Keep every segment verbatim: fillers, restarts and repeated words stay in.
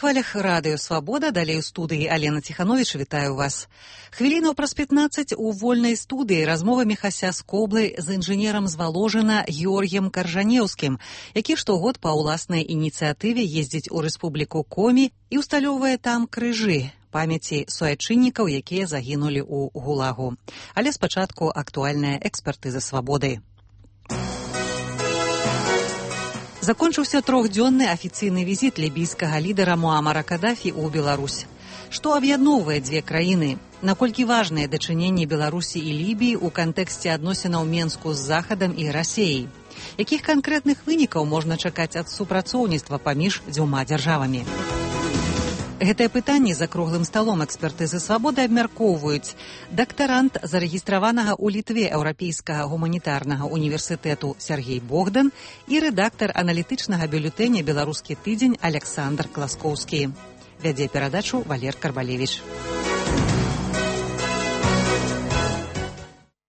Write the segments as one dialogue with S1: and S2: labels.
S1: хвалях радыё «Свабода», далей у студыі Алена Ціхановіч, вітаю вас. Хвілінаў праз пятнаццаць у вольнай студыі размова Міхася Скоблы з інжынерам з Валожына Георгіем Каржанеўскім, які штогод па ўласнай ініцыятыве ездзіць у рэспубліку Комі і ўсталёўвае там крыжы памяці суайчыннікаў, якія загінулі ў ГУЛАГу. Але спачатку актуальная экспертыза «Свабоды». Закончыўся трохдзённы афіцыйны візіт лібійскага лідара Муамара Кадафі ў Беларусь. Што аб'ядноўвае дзве краіны? Наколькі важныя дачыненні Беларусі і Лібіі ў кантэксце адносінаў Менску з Захадам і Расеяй? Якіх канкрэтных вынікаў можна чакаць ад супрацоўніцтва паміж дзвюма дзяржавамі? Гэтае пытанне за круглым сталом экспертызы «Свабоды» абмяркоўваюць дактарант зарэгістраванага ў Літве Еўрапейскага гуманітарнага універсітэту Сергей Богдан і рэдактар аналітычнага бюлетэня «Беларускі тыдзень» Александр Класкоўскі. Вядзе перадачу Валер Карбалевіч.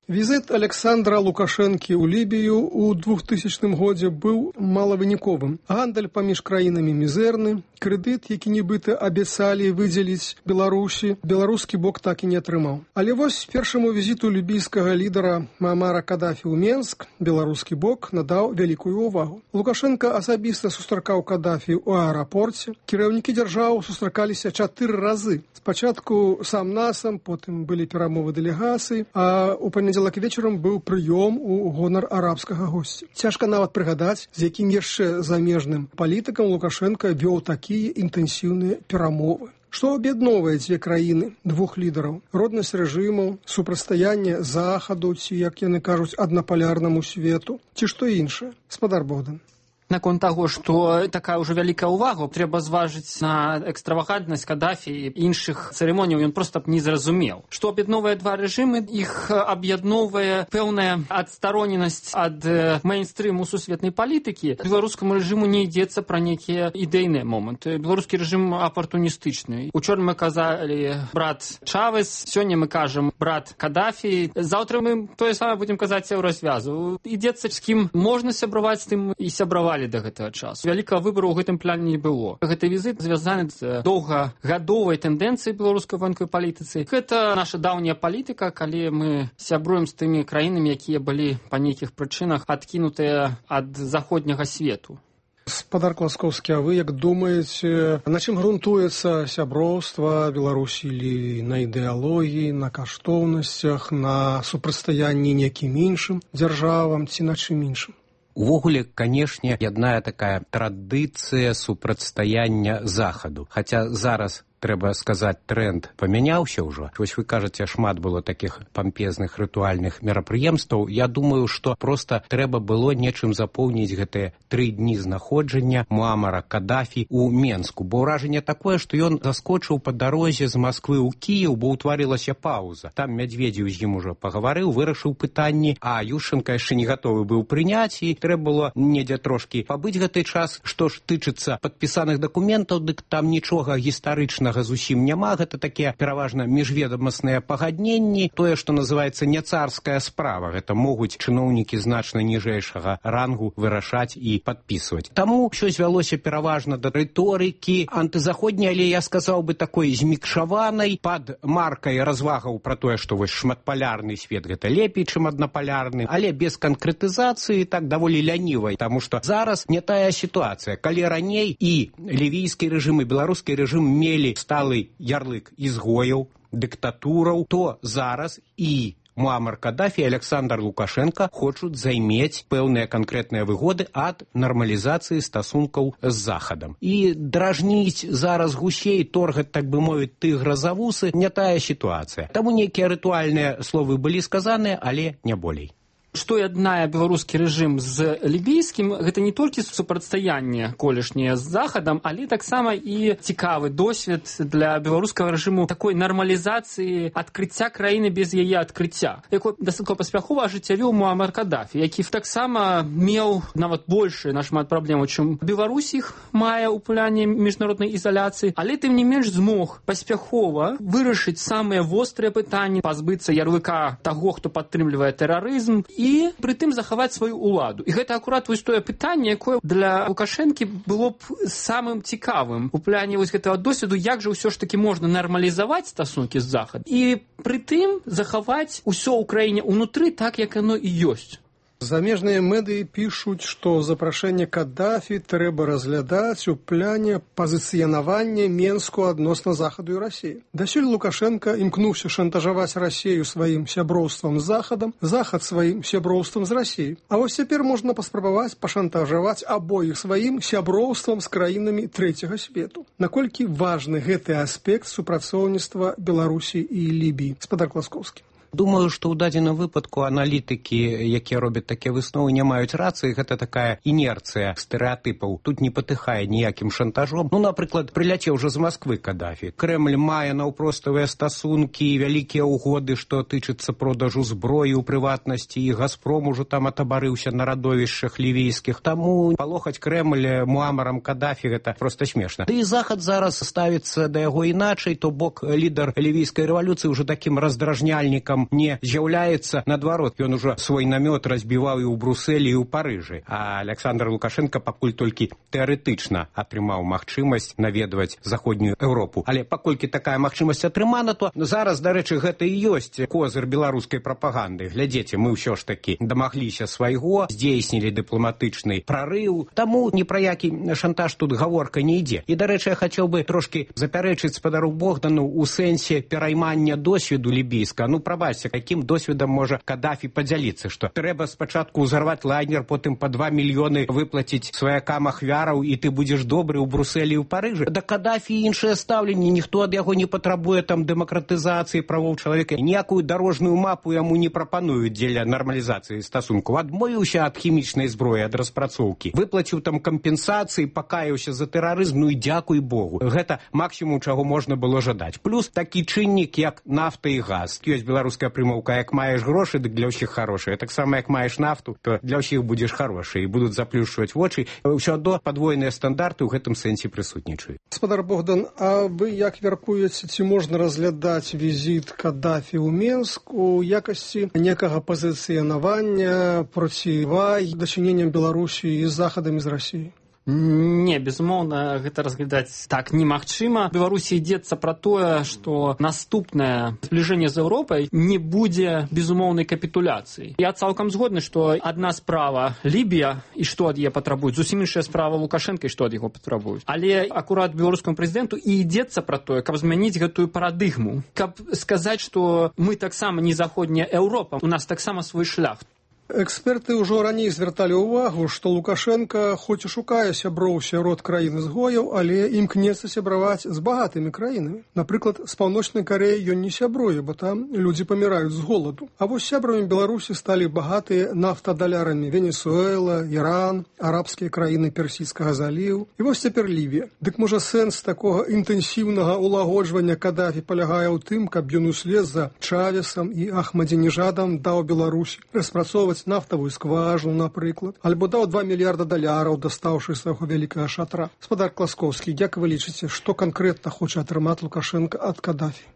S2: Візіт Александра Лукашэнкі ў Лібію ў двухтысячным годзе быў малавыніковым. Гандаль паміж краінамі мізэрны, крэдыт, які нібыта абяцалі выдзеліць Беларусі, беларускі бок так і не атрымаў. Але вось першаму візіту лібійскага лідара Муамара Кадафі ў Менск беларускі бок надаў вялікую ўвагу. Лукашенка асабіста сустракаў Кадафі ў аэрапорце. Кіраўнікі дзяржаў сустракаліся чатыры разы. Спачатку сам насам, потым былі перамовы дэлегацый, а ў панядзелак вечарам быў прыём у гонар арабскага госця. Цяжка нават прыгадаць, з якім яшчэ замежным палітыкам Лукашенка вёў такія інтэнсіўныя перамовы. Што аб'ядноўвае дзве краіны, двух лідараў? Роднасць рэжымаў, супрацьстаянне Захаду, ці, як яны кажуць, аднапалярнаму свету, ці што іншае? Спадар Богдан.
S3: Наконт таго, што такая ўжо вялікая ўвага, трэба зважыць на экстравагантнасць Кадафі і іншых цырымоніяў, ён проста б не зразумеў. Што аб'ядноўвае два рэжымы, іх аб'ядноўвае пэўная адстароненасць ад мейнстрыму сусветнай палітыкі. Беларускаму рэжыму не ідзецца пра нейкія ідэйныя моманты. Беларускі рэжым апартуністычны. Учора мы казалі брат Чавес, сёння мы кажам брат Кадафі. Заўтра мы тое самае будзем казаць у развязу. Ідзецца з кім можна сябраваць, з тым і сябраваць да гэтага часу. Вялікага выбару ў гэтым плане не было. Гэты візіт звязаны з доўгагадовай тэндэнцыяй беларускай военкавай палітыцы. Гэта наша даўняя палітыка, калі мы сябруем з тымі краінамі, якія былі па нейкіх прычынах адкінутыя ад заходняга свету.
S2: Спадар Класкоўскі, а вы як думаеце, на чым грунтуецца сяброўства Беларусі или на ідэалогіі, на каштоўнасцях, на супрацьстаянні нейкім іншым дзяржавам ці на чым іншым?
S4: Увогуле, канешне, ядная такая традыцыя супрацьстаяння Захаду. Хаця зараз, трэба сказаць, тренд памяняўся ўжо. Вось вы кажаце, шмат было такіх пампезных рытуальных мерапрыемстваў. Я думаю, што проста трэба было нечым запоўніць гэтыя тры дні знаходжання Муамара Кадафі ў Менску. Бо ўражанне такое, што ён заскочыў па дарозе з Масквы ў Кіеў, бо ўтварылася паўза. Там Мядзведзеў з ім ужо пагаварыў, вырашыў пытанні, а Ющенка яшчэ не гатовы быў прыняць, і трэба было недзе трошкі пабыць гэты час. Што ж тычыцца падпісаных дакументаў, дык там нічога гістарычнага зусім няма, гэта такія пераважна міжведамасныя пагадненні, тое, што называецца не царская справа, гэта могуць чыноўнікі значна ніжэйшага рангу вырашаць і падпісваць. Таму ўсё звялося пераважна да рыторыкі антызаходняй, але я сказаў бы такой змікшаванай, пад маркай развагаў пра тое, што вось шматпалярны свет гэта лепей, чым аднапалярны, але без канкрэтызацыі, так даволі лянівай, таму што зараз не тая сітуацыя. Калі раней і лівійскі рэжым, і беларускі рэжым мелі сталы ярлык ізгояў, дыктатураў, то зараз і Муамар Кадафі і Александр Лукашенко хочуць займець пэўныя канкрэтныя выгоды ад нармалізацыі стасункаў з Захадам. І дражніць зараз гусей, торгаць, так бы мовіць, тыгра за вусы, не тая сітуацыя. Таму нейкія рытуальныя словы былі сказаныя, але не болей.
S3: Што яднае беларускі рэжым з лібійскім, гэта не толькі супрацьстаянне колішняе з Захадам, але таксама і цікавы досвед для беларускага рэжыму такой нармалізацыі адкрыцця краіны без яе адкрыцця, якой дастаткова паспяхова ажыццявіў Муамар Кадафі, які таксама меў нават большы нашмат праблемаў, чым Беларусь іх мае ў плане міжнароднай ізаляцыі, але тым не менш змог паспяхова вырашыць самыя вострыя пытанні, пазбыцца ярлыка таго, хто падтрымлівае тэрарызм, і прытым захаваць сваю ўладу. І гэта акурат вось тое пытанне, якое для Лукашэнкі было б самым цікавым у пляне вось гэтага досведу, як жа ўсё ж таки можна нармалізаваць стасункі з Захадам і прытым захаваць усё ў краіне ўнутры так, як оно і ёсць.
S2: Замежныя медыі пішуць, што запрашэнне Каддафі трэба разглядаць у пляне пазіцыянавання Менску адносна Захаду і Расіі. Дасюль Лукашенка імкнуўся шантажаваць Расію сваім сяброўствам з Захадам, Захад сваім сяброўствам з Расіяй. А вось цяпер можна паспрабаваць пашантажаваць абоіх сваім сяброўствам з краінамі трэцяга свету. Наколькі важны гэты аспект супрацоўніцтва Беларусі і Лібіі? Спадар Класкоўскі.
S4: Думаю, што ў дадзеным выпадку аналітыкі, якія робяць такія высновы, не маюць рацыі. Гэта такая інерцыя стэрэатыпаў. Тут не патыхае ніякім шантажом. Ну, напрыклад, прыляцеў уже з Масквы Каддафі. Крэмль мае наўпроставыя стасункі, вялікія ўгоды, што тычыцца продажу зброі ў прыватнасці, і Газпром ужо там атабарыўся на радовішчах лівійскіх. Таму палохаць Крэмль Муамарам Каддафі гэта проста смешна. Ды і Захад зараз ставіцца да яго іначай, то бок лідар лівійскай рэвалюцыі ўжо такім раздражняльнікам не з'яўляецца, наадварот, ён ужо свой намёт разбіваў і ў Брусэлі, і ў Парыжы. А Александр Лукашенко пакуль толькі тэарэтычна атрымаў магчымасць наведваць заходнюю Еўропу. Але паколькі такая магчымасць атрымана, то зараз, дарэчы, гэта і ёсць козыр беларускай прапаганды. Глядзіце, мы ўсё ж такі дамагліся свайго, здзейснілі дыпламатычны прарыў, таму ні пра які шантаж тут гаворка не ідзе. І, дарэчы, я хацеў бы трошкі запярэчыць спадару Богдану ў сэнсе пераймання досведу лібійска. Ну, праба каким досведам можа Каддафі падзяліцца, што трэба спачатку ўзарваць лайнер, потым па два мільёны выплаціць сваякам ахвяраў, і ты будзеш добры ў Брусэлі і ў Парыжы. Да Каддафі іншае стаўленне, ніхто ад яго не патрабуе там дэмакратызацыі правоў чалавека, ніякую дарожную мапу яму не прапануюць дзеля нармалізацыі стасункаў. Адмовіўся ад хімічнай зброі, ад распрацоўкі, выплаціў там кампенсацыі, пакаяўся за тэрарызм, ну і дзякуй Богу. Гэта максімум, чаго можна было жадаць. Плюс такі чыннік, як нафта і газ. Ёсць беларуская прымаўка, як маеш грошы, дык для ўсіх хорошыя. Таксама, як маеш нафту, то для ўсіх будзеш хорошы, і будуць заплюшчваць вочы. Ўсё адно падвойныя стандарты ў гэтым сэнсе прысутнічаюць.
S2: Спадар Богдан, а вы як мяркуеце, ці можна разглядаць візіт Каддафі ў Менск у якасці некага пазіцыянавання процівай дачыненням Беларусі з Захадам і з Расіяй?
S3: Не, безумоўна, гэта разглядаць так немагчыма. Беларусі ідзецца пра тое, што наступнае збліжэнне з Еўропай не будзе безумоўнай капітуляцыі. Я цалкам згодны, што адна справа Лібія, і што ад яе патрабуюць, зусім іншая справа Лукашенка, і што ад яго патрабуюць. Але акурат беларускаму прэзідэнту і ідзецца пра тое, каб змяніць гэтую парадыгму, каб сказаць, што мы таксама не заходняя Еўропа, у нас таксама свой шлях.
S2: Эксперты ўжо раней звярталі ўвагу, што Лукашенка хоць і шукае сяброў сярод краін-ізгояў, але імкнецца сябраваць з багатымі краінамі. Напрыклад, з Паўночнай Карэі ён не сябруе, бо там людзі паміраюць з голаду. А вось сябрамі Беларусі сталі багатыя нафтадалярамі Венесуэла, Іран, арабскія краіны Персійскага заліву. І вось цяпер Лівія. Дык можа сэнс такога інтэнсіўнага ўлагоджвання Каддафі палягае ў тым, каб ён услед за Чавесам і Ахмадзінежадам даў Беларусі распрацоўваць нафтавую скважину, напрыклад, альбо даў два мільярда даляраў, дастаўшы свайго вялікага шатра. Спадар Класкоўскі, як вы лічыце, што канкрэтна хоча атрымаць Лукашенка ад Каддафі?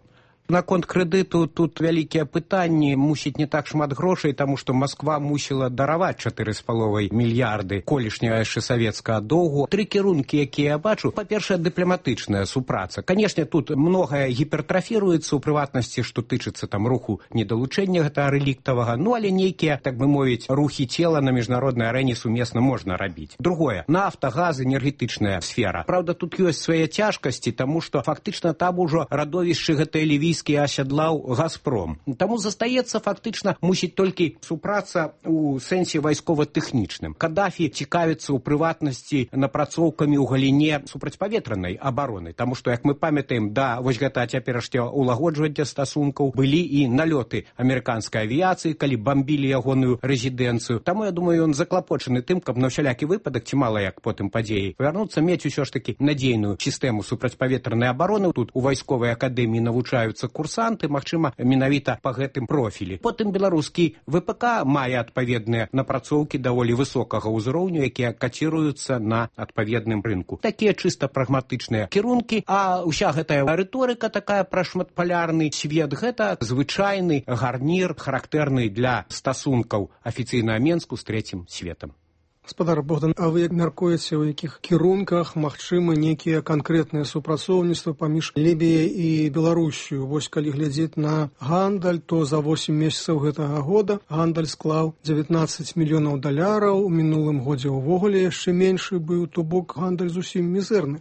S4: Наконт крэдыту тут вялікія пытанні, мусіць не так шмат грошай, таму што Масква мусіла дараваць чатыры з паловай мільярды колішняга яшчэ савецкага доўгу. Тры кірункі, якія я бачу. Па-першае, дыпламатычная супраца. Канешне, тут многае гіпертрафіруецца ў прыватнасці, што тычыцца там руху недалучэння гэтага рэліктавага, ну але нейкія, так бы мовіць, рухі цела на міжнароднай арэне сумесна можна рабіць. Другое, нафта, газ, энергетычная сфера. Праўда, тут ёсць свае цяжкасці, таму што фактычна там ужо радовішчы гэтыя лівійскія асядлаў Газпром. Таму застаецца фактычна мусіць толькі супраца ў сэнсе вайскова-тэхнічным. Каддафі цікавіцца ў прыватнасці напрацоўкамі ў галіне супрацьпаветранай абароны, таму што, як мы памятаем, да вось гэта цяперашняга ўлагоджвання стасункаў былі і налёты амерыканскай авіяцыі, калі бамбілі ягоную рэзідэнцыю. Таму, я думаю, ён заклапочаны тым, каб на ўсялякі выпадак, ці мала як потым падзеі, павярнуцца, мець усё ж такі надзейную сістэму супрацьпаветранай абароны. Тут у вайсковай акадэміі навучаюцца шукаюцца курсанты, магчыма, менавіта па гэтым профілі. Потым беларускі ВПК мае адпаведныя напрацоўкі даволі высокага ўзроўню, якія каціруюцца на адпаведным рынку. Такія чыста прагматычныя кірункі, а ўся гэтая рыторыка такая пра шматпалярны свет, гэта звычайны гарнір, характэрны для стасункаў афіцыйнага Менску з трэцім светам.
S2: Гаспадар Богдан, а вы як мяркуеце, у якіх кірунках магчымы нейкія канкрэтныя супрацоўніцтва паміж Лібіяй і Беларусю? Вось калі глядзець на гандаль, то за восем месяцаў гэтага года гандаль склаў дзевятнаццаць мільёнаў даляраў, у мінулым годзе ўвогуле яшчэ меншы быў, то бок гандаль зусім мізэрны.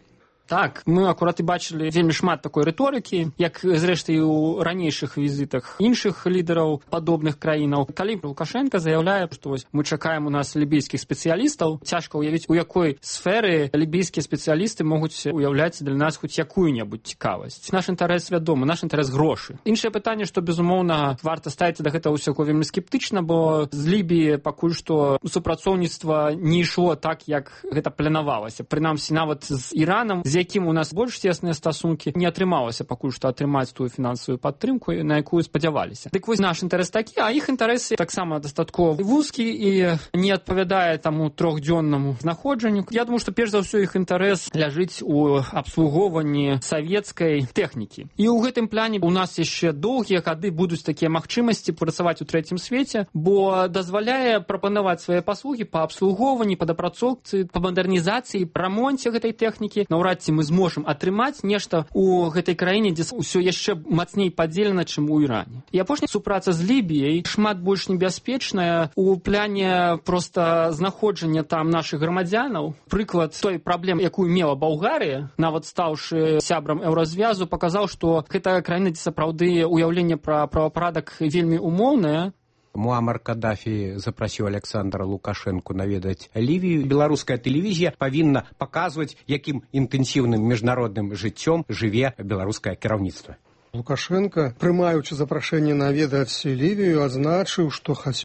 S3: Так, мы акурат і бачылі вельмі шмат такой рыторыкі, як, зрэшты, і ў ранейшых візітах іншых лідараў падобных краінаў. Калі Лукашенко заяўляе, што вось мы чакаем у нас лібійскіх спецыялістаў, цяжка ўявіць, у якой сферы лібійскія спецыялісты могуць уяўляць для нас хоць якую-небудзь цікавасць. Наш інтарэс вядомы, наш інтарэс грошы. Іншае пытанне, што, безумоўна, варта ставіцца да гэтага ўсяго вельмі скептычна, бо з Лібіі пакуль што супрацоўніцтва не ішло так, як гэта планавалася. Прынамсі, нават з Іранам, з якім у нас больш цесныя стасункі, не атрымалася пакуль што атрымаць тую фінансавую падтрымку, на якую спадзяваліся. Дык вось наш інтарэс такі, а іх інтарэсы таксама дастаткова вузкі і не адпавядае таму трохдзённаму знаходжанню. Я думаю, што перш за ўсё іх інтарэс ляжыць у абслугоўванні савецкай тэхнікі. І ў гэтым плане у нас яшчэ доўгія гады будуць такія магчымасці працаваць у трэцім свеце, бо дазваляе прапанаваць свае паслугі па абслугоўванні, па дапрацоўцы, па мадэрнізацыі, рамонце гэтай тэхнікі. Наўрад ці мы зможам атрымаць нешта ў гэтай краіне, дзе ўсё яшчэ мацней падзелена, чым у Іране. І апошняя супраца з Лібіяй шмат больш небяспечная у пляне проста знаходжання там нашых грамадзянаў. Прыклад той праблемы, якую мела Балгарыя, нават стаўшы сябрам еўразвязу, паказаў, што гэтая краіна, дзе сапраўды ўяўленне пра правапарадак вельмі умоўнае.
S4: Муамар Каддафі запрасіў Александра Лукашэнку наведаць Лівію. Беларуская тэлевізія павінна паказваць, якім інтэнсіўным міжнародным жыццём жыве беларускае кіраўніцтва.
S2: Лукашенко, прымаючы запрашэнне наведаць Лівію, адзначыў, што